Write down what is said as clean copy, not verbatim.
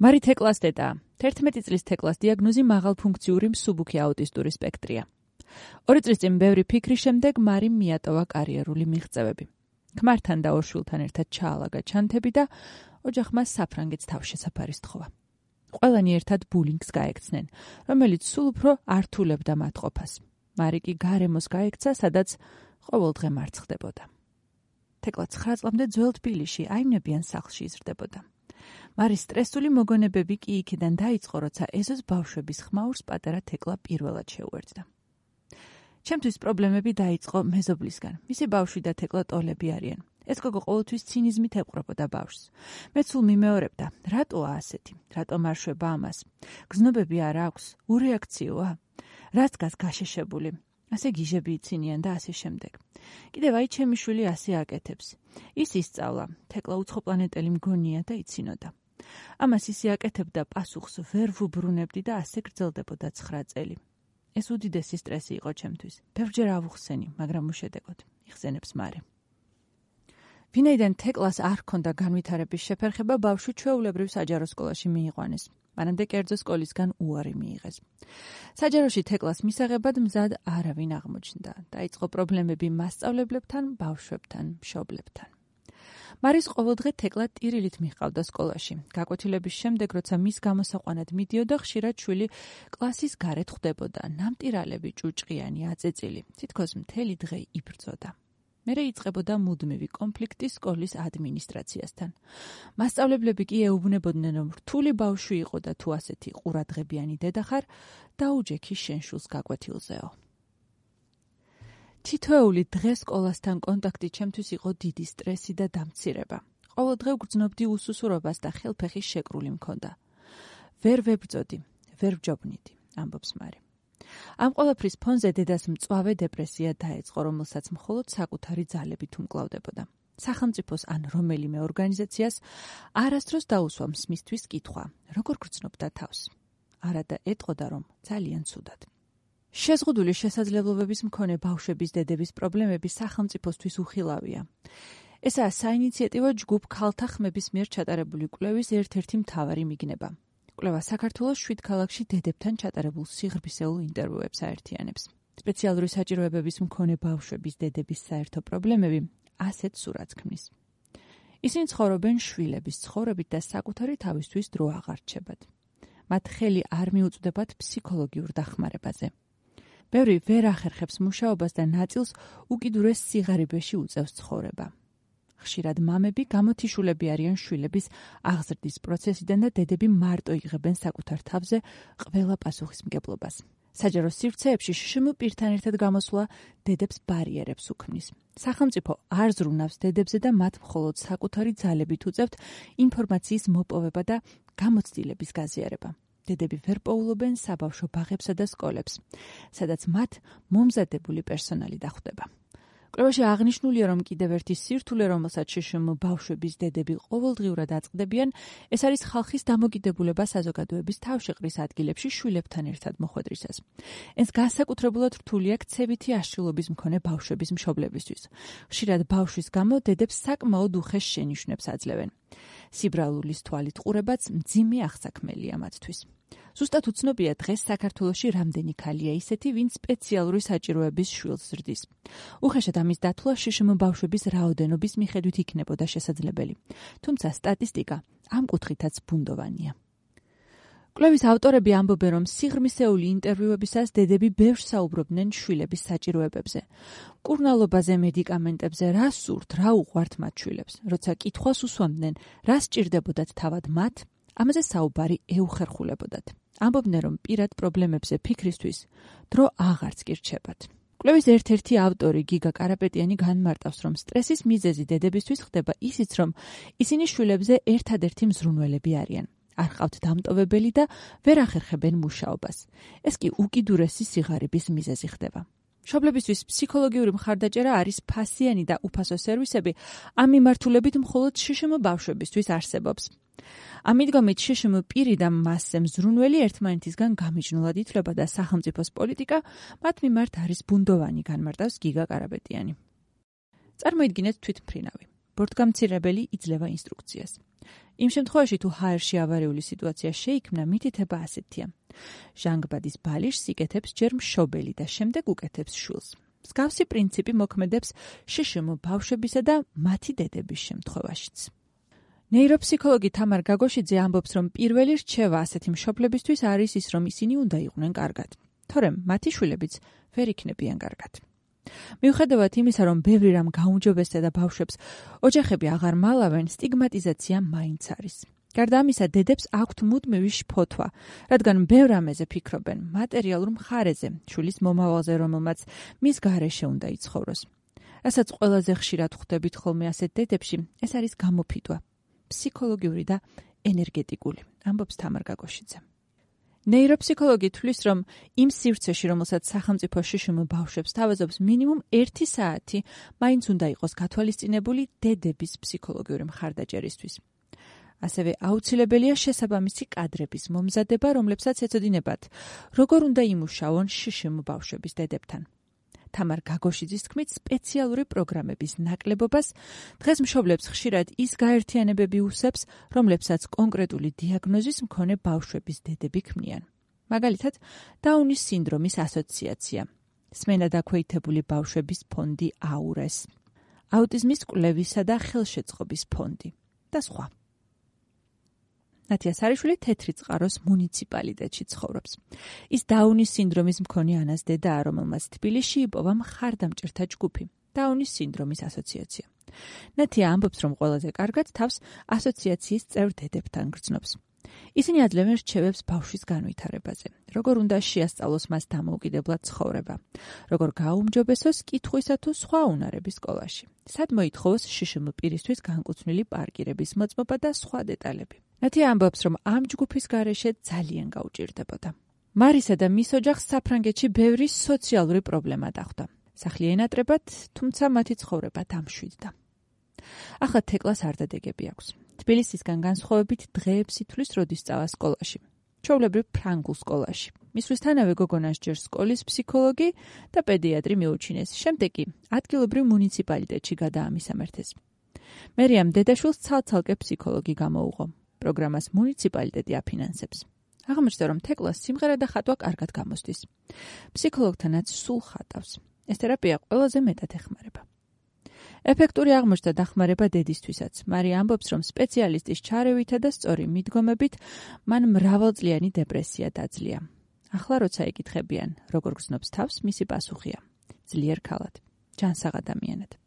მარი თეკლას დედაა. 11 წლის თეკლას დიაგნოზი მაღალფუნქციური მსუბუქი აუტისტური სპექტრია. 2 წლის წინ ბევრი ფიქრის შემდეგ მარიმ მიატოვა კარიერული მიღწევები. ქმართან და ორ შვილთან ერთად ჩაალაგა ჩანთები და ოჯახმა საფრანგეთს თავშესაფარი სთხოვა. ყველანი ერთად ბულინგს გაექცნენ, რომელიც სულ უფრო ართულებდა მათ ყოფას. მარი კი გარემოს გაექცა, სადაც ყოველდღე მარცხდებოდა. თეკლა 9 წლამდე ძველ თბილისში აიმნებიან სახლში იზრდებოდა. მარის სტრესული მოგონებები კი იქიდან დაიწყო, როცა ეზოს ბავშვების ხმაურს პატარა თეკლა პირველად შეუერთდა. ჩემთვის პრობლემები დაიწყო მეზობლისგან. მისი ბავშვი და თეკლა ტოლები არიან. ეს გოგო ყოველთვის ცინიზმით ეპყრობოდა ბავშვს. მე სულ მიმეორებდა, რატოა ასეთი, რატომ არ შვება ამას? გზნობები არ აქვს, ურეაქციოა? რაც გას გაშეშებული? ასე გიჟები იცინიან და ასე შემდეგ. კიდევ აი ჩემი შვილი ასე აკეთებს. ის ისწავლა, თეკლა უცხოპლანეტელი მგონია და იცინოდა. ამას ისე აკეთებდა, პასუხს ვერ ვუბრუნებდი და ასე გრძელდებოდა 9 წელი. ეს უდიდესი სტრესი იყო ჩემთვის. ბევრჯერ ავუხსენი, მაგრამ უშედეგოდ. იხსენებს მარი. ვინაიდან თეკლას არ ჰქონდა განვითარების შეფერხება, ბავშვი ჩვეულებრივ საჯარო სკოლაში მიიყვანეს. მანამდე კერძო სკოლისგან უარი მიიღეს. საჯაროში თეკლას მისაღებად მზად არავინ აღმოჩნდა. დაიწყო პრობლემები მასწავლებლებთან, ბავშვებთან, მშობლებთან. მარის ყოველდღე თეკლა ტირილით მიჰყავდა სკოლაში. გაკვეთილების შემდეგ, როცა მის გამოსაყვანად მიდიოდა, ხშირად შვილი კლასის გარეთ ხვდებოდა, ნამტირალები, ჭუჭყიანი, აწეწილი. თითქოს მთელი დღე იბრძოდა. მერე იწყებოდა მუდმივი კონფლიქტი სკოლის ადმინისტრაციასთან. მასწავლებლები კი ეუბნებოდნენ, რომ რთული ბავშვი იყო და თუ ასეთი ყურადღებიანი დედა ხარ, დაუჯექი შენ შვილს გაკვეთილზეო. თითოეული დღე სკოლასთან კონტაქტი ჩემთვის იყო დიდი სტრესი და დამცირება. ყოველდღე ვგრძნობდი უსუსურობას და ხელფეხის შეკრული მქონდა. ვერ ვებრძოდი, ვერ ვჯობნიდი, ამბობს მარი. ამ ყველაფრის ფონზე დედას მწვავე დეპრესია დაეწყო, რომელსაც მხოლოდ საკუთარი ძალებით უმკლავდებოდა. სახელმწიფოს ან რომელიმე ორგანიზაციას არასდროს დაუსვამს მისთვის კითხვა, როგორ გრძნობდა თავს. არადა ეტყოდა, რომ ძალიან ცუდად. შეზღუდული შესაძლებლობების მქონე ბავშვების დედების პრობლემები სახელმწიფოსთვის უხილავია. ესაა საინიციატივო ჯგუფ ქალთა ხმების მიერ ჩატარებული კვლევის ერთ-ერთი მთავარი მიგნება. კვლევა საქართველოს 7 ქალაქში დედებთან ჩატარებულ სიღრმისეულ ინტერვიუებს აერთიანებს. სპეციალური საჭიროებების მქონე ბავშვების დედების საერთო პრობლემები ასეთ სურათს ქმნის. ისინი ცხოვრობენ შვილების ცხოვრებით და საკუთარი თავისთვის დრო აღარ რჩებათ. მათ ხელი არ მიუწვდებათ ფსიქოლოგიურ დახმარებაზე. ბევრი ვერ ახერხებს მუშაობას და ნაწილს უკიდურეს სიღარიბეში უწევს ცხოვრება. ხშირად მამები გამოთიშულები არიან შვილების აღზრდის პროცესიდან და დედები მარტო იღებენ საკუთარ თავზე ყველა პასუხისმგებლობას. საჯარო სივრცეებში შშმ პირთან ერთად გამოსვლა დედებს ბარიერებს უქმნის. სახელმწიფო არ ზრუნავს დედებზე და მათ მხოლოდ საკუთარი ძალებით უწევთ ინფორმაციის მოპოვება და გამოცდილების გაზიარება. დედები ვერ პოულობენ საბავშვო ბაღებსა და სკოლებს, სადაც მათ მომზადებული პერსონალი დახვდება. კვლევაში აღნიშნულია, რომ კიდევ ერთი სირთულე, რომელსაც შშმ ბავშვების დედები ყოველდღიურად აწყდებიან, ეს არის ხალხის დამოკიდებულება საზოგადოების თავშეყრის ადგილებში შვილებთან ერთად მოხვედრისას. ეს განსაკუთრებულად რთული აქ ქცევითი აშლილობის მქონე ბავშვების მშობლებისთვის. ხშირად ბავშვის გამო დედებს საკმაოდ უხეშ შენიშვნებს აძლევენ. სიბრალულის თვალით ყურებაც მძიმე აღსაქმელია მათთვის. ზუსტად უცნობია დღეს საქართველოში რამდენი ქალია ისეთი, ვინც სპეციალური საჭიროების შვილს ზრდის. უხეშად ამის დათვლა შშმ ბავშვების რაოდენობის მიხედვით იქნებოდა შესაძლებელი. თუმცა სტატისტიკა ამ კუთხითაც ბუნდოვანია. კვლევის ავტორები ამბობენ, რომ სიღრმისეული ინტერვიუებისას დედები ბევრს საუბრობდნენ შვილების საჭიროებებზე. მკურნალობაზე, მედიკამენტებზე, რა სურთ, რა უყვართ მათ შვილებს. როცა კითხვას უსვამდნენ, რა სჭირდებოდათ თავად მათ, ამაზე საუბარი ეუხერხულებოდათ. ამბობდნენ, რომ პირად პრობლემებზე ფიქრისთვის დრო აღარც კი რჩებათ. კვლევის ერთ-ერთი ავტორი გიგა კარაპეტიანი განმარტავს, რომ სტრესის მიზეზი დედებისთვის ხდება ისიც, რომ ისინი შვილებზე ერთადერთი მზრუნველები არიან. არ ყავთ დამტოვებელი და ვერ ახერხებენ მუშაობას. ეს კი უკიდურესი სიღარიბის მიზეზი ხდება. მშობლებისთვის ფსიქოლოგიური მხარდაჭერა არის ფასიანი და უფასო სერვისები, ამ მიმართულებით მხოლოდ შშმ ბავშვებისთვის არსებობს. ამიტომით შშმ პირი და მასზე მზრუნველი ერთმანეთისგან გამიჯნულად ითვლება და სახელმწიფოს პოლიტიკა მათ მიმართ არის ბუნდოვანი, განმარტავს გიგა კარაპეტიანი. წარმოიდგინეთ თვითმფრინავი. ბორტგამცირებელი იძლევა ინსტრუქციას. იმ შემთხვევაში, თუ ჰაერში ავარიული სიტუაცია შეიქმნა, მითითება ასეთია. ჟანგბადის ბალიშს იკეთებს ჯერ მშობელი და შემდეგ უკეთებს შვილს. მსგავსი პრინციპი მოქმედებს შშმ ბავშვებისა და მათი დედების შემთხვევაშიც. ნეიროფსიქოლოგი თამარ გაგოშიძე ამბობს, რომ პირველი რჩევა ასეთი მშობლებისთვის არის ის, რომ ისინი უნდა იყვნენ კარგად. თორემ მათი შვილებიც ვერ იქნებიან კარგად. მიუხედავად იმისა, რომ ბევრი რამ გაუმჯობესდა და ბავშვებს ოჯახები აღარ მალავენ, სტიგმატიზაცია მაინც არის. გარდა ამისა, დედებს აქვთ მუდმივი შფოთვა, რადგან ბევრ რამეზე ფიქრობენ, მატერიალურ მხარეზე, შვილის მომავალზე, რომელმაც მის გარეშე უნდა იცხოვროს. რასაც ყველაზე ხშირად ხვდებით ხოლმე ასეთ დედებში, ეს არის გამოფიტვა, ფსიქოლოგიური და ენერგეტიკული, ამბობს თამარ გაგოშიძე. ნეიროფსიქოლოგი თვლის, რომ იმ სივრცეში, რომელსაც სახელმწიფო შშმ ბავშვებს თავაზობს, მინიმუმ 1 საათი მაინც უნდა იყოს გათვალისწინებული დედების ფსიქოლოგიური მხარდაჭერისთვის. ასევე აუცილებელია შესაბამისი კადრების მომზადება, რომლებსაც ეწოდინებათ, როგორ უნდა იმუშაონ შშმ ბავშვების დედებთან. თამარ გაგოშიძის თქმით, სპეციალური პროგრამების ნაკლებობას დღეს მშობლებს ხშირად ის გაერთიანებები უსებს, რომლებსაც კონკრეტული დიაგნოზის მქონე ბავშვების დედები ქმნიან. მაგალითად, დაუნის სინდრომის ასოციაცია, სმენადაქვეითებული ბავშვების ფონდი აურეს, აუტიზმის კვლევისა და ხელშეწყობის ფონდი და სხვა. ნათია სარიშვილი თეთრი წყაროს მუნიციპალიტეტში ცხოვრობს. ის დაუნის სინდრომის მქონე ანას დედაა, რომელმაც თბილისში იპოვა მხარდამჭერთა ჯგუფი, დაუნის სინდრომის ასოციაცია. ნათია ამბობს, რომ ყველაზე კარგად თავს ასოციაციის წევრ დედებთან გრძნობს. ისინი აძლევენ რჩევებს ბავშვის განვითარებაზე, როგორ უნდა შეასწავლოს მას დამოუკიდებლად ცხოვრება, როგორ გააუმჯობესოს კითხვისა თუ სხვა უნარების სკოლაში, სად მოითხოვოს შშმ პირისთვის განკუთვნილი პარკირების მოწმობა და სხვა დეტალები. ნათია ამბობს, რომ ამ ჯგუფის გარეშე ძალიან გაუჭირდებოდა. მარისა და მის ოჯახს საფრანგეთში ბევრი სოციალური პრობლემა დახვდა. სახლი ენატრებათ, თუმცა მათი ცხოვრება დამშვიდდა. ახლა თეკლას არ დადეგები აქვს. თბილისისგან განსხვავებით დღეებს ითვლის, როდის სწავა სკოლაში. ჩვეულებრივ ფრანგულ სკოლაში. მისვლისთანავე გოგონას ჯერ სკოლის ფსიქოლოგი და პედიატრი მიუჩინეს. შემდეგ კი ადგილობრივ მუნიციპალიტეტში გადაამისამართეს. მერიამ დედაშვილს ცალ-ცალკე ფსიქოლოგი გამოუღო. პროგრამას მუნიციპალიტეტი აფინანსებს. აღმოჩნდა, რომ თეკლას სიმღერა და ხატვა კარგად გამოსდის. ფსიქოლოგთანაც სულ ხატავს. ეს თერაპია ყველაზე მეტად ეხმარება. ეფექტური აღმოჩნდა დახმარება დედისთვისაც. მარია ამბობს, რომ სპეციალისტის ჩარევითა და სწორი მიდგომებით მან მრავალწლიანი დეპრესია დაძლია. ახლა როცა ეკითხებიან, როგორ გრძნობს თავს, მისი პასუხია: ძლიერ ქალად, ჯანსაღ ადამიანად.